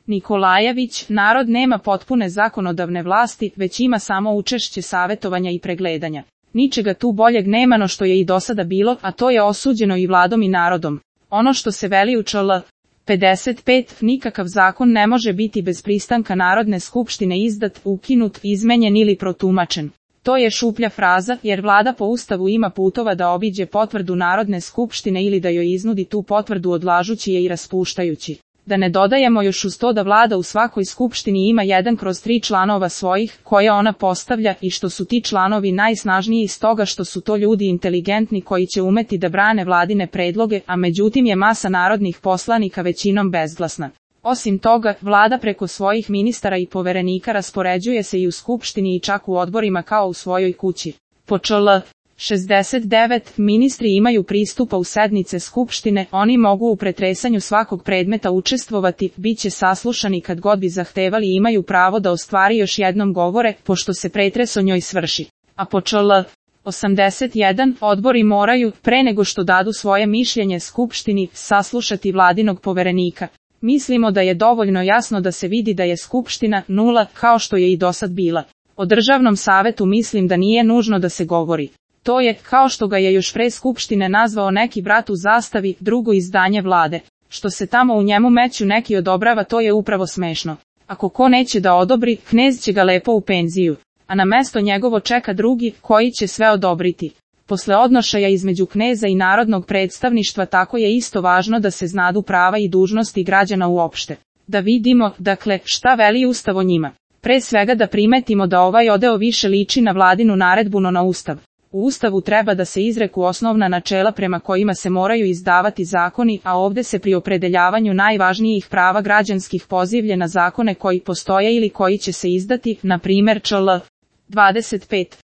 Nikolajević, narod nema potpune zakonodavne vlasti, već ima samo učešće savjetovanja i pregledanja. Ničega tu boljeg nema no što je i do sada bilo, a to je osuđeno i vladom i narodom. Ono što se veli u čl. 55, nikakav zakon ne može biti bez pristanka Narodne skupštine izdat, ukinut, izmenjen ili protumačen. To je šuplja fraza, jer vlada po Ustavu ima putova da obiđe potvrdu Narodne skupštine ili da joj iznudi tu potvrdu odlažući je i raspuštajući. Da ne dodajemo još uz to da vlada u svakoj skupštini ima 1/3 članova svojih, koje ona postavlja i što su ti članovi najsnažniji iz toga što su to ljudi inteligentni koji će umeti da brane vladine predloge, a međutim je masa narodnih poslanika većinom bezglasna. Osim toga, vlada preko svojih ministara i poverenika raspoređuje se i u skupštini i čak u odborima kao u svojoj kući. Po čl. 69, ministri imaju pristupa u sednice skupštine, oni mogu u pretresanju svakog predmeta učestvovati, bit će saslušani kad god bi zahtevali i imaju pravo da ostvari još jednom govore, pošto se pretres o njoj svrši. A po čl. 81, odbori moraju, pre nego što dadu svoje mišljenje skupštini, saslušati vladinog poverenika. Mislimo da je dovoljno jasno da se vidi da je skupština nula, kao što je i dosad bila. O državnom savetu mislim da nije nužno da se govori. To je, kao što ga je još pre skupštine nazvao neki brat u zastavi, drugo izdanje vlade. Što se tamo u njemu meću neki odobrava, to je upravo smešno. Ako ko neće da odobri, knez će ga lepo u penziju. A na mesto njegovo čeka drugi, koji će sve odobriti. Posle odnošaja između kneza i narodnog predstavništva tako je isto važno da se znadu prava i dužnosti građana uopšte. Da vidimo, dakle, šta veli Ustav o njima. Pre svega da primetimo da ovaj odeo više liči na vladinu naredbu no na Ustav. U Ustavu treba da se izreku osnovna načela prema kojima se moraju izdavati zakoni, a ovde se pri opredeljavanju najvažnijih prava građanskih pozivlje na zakone koji postoje ili koji će se izdati, na primjer čl. 25.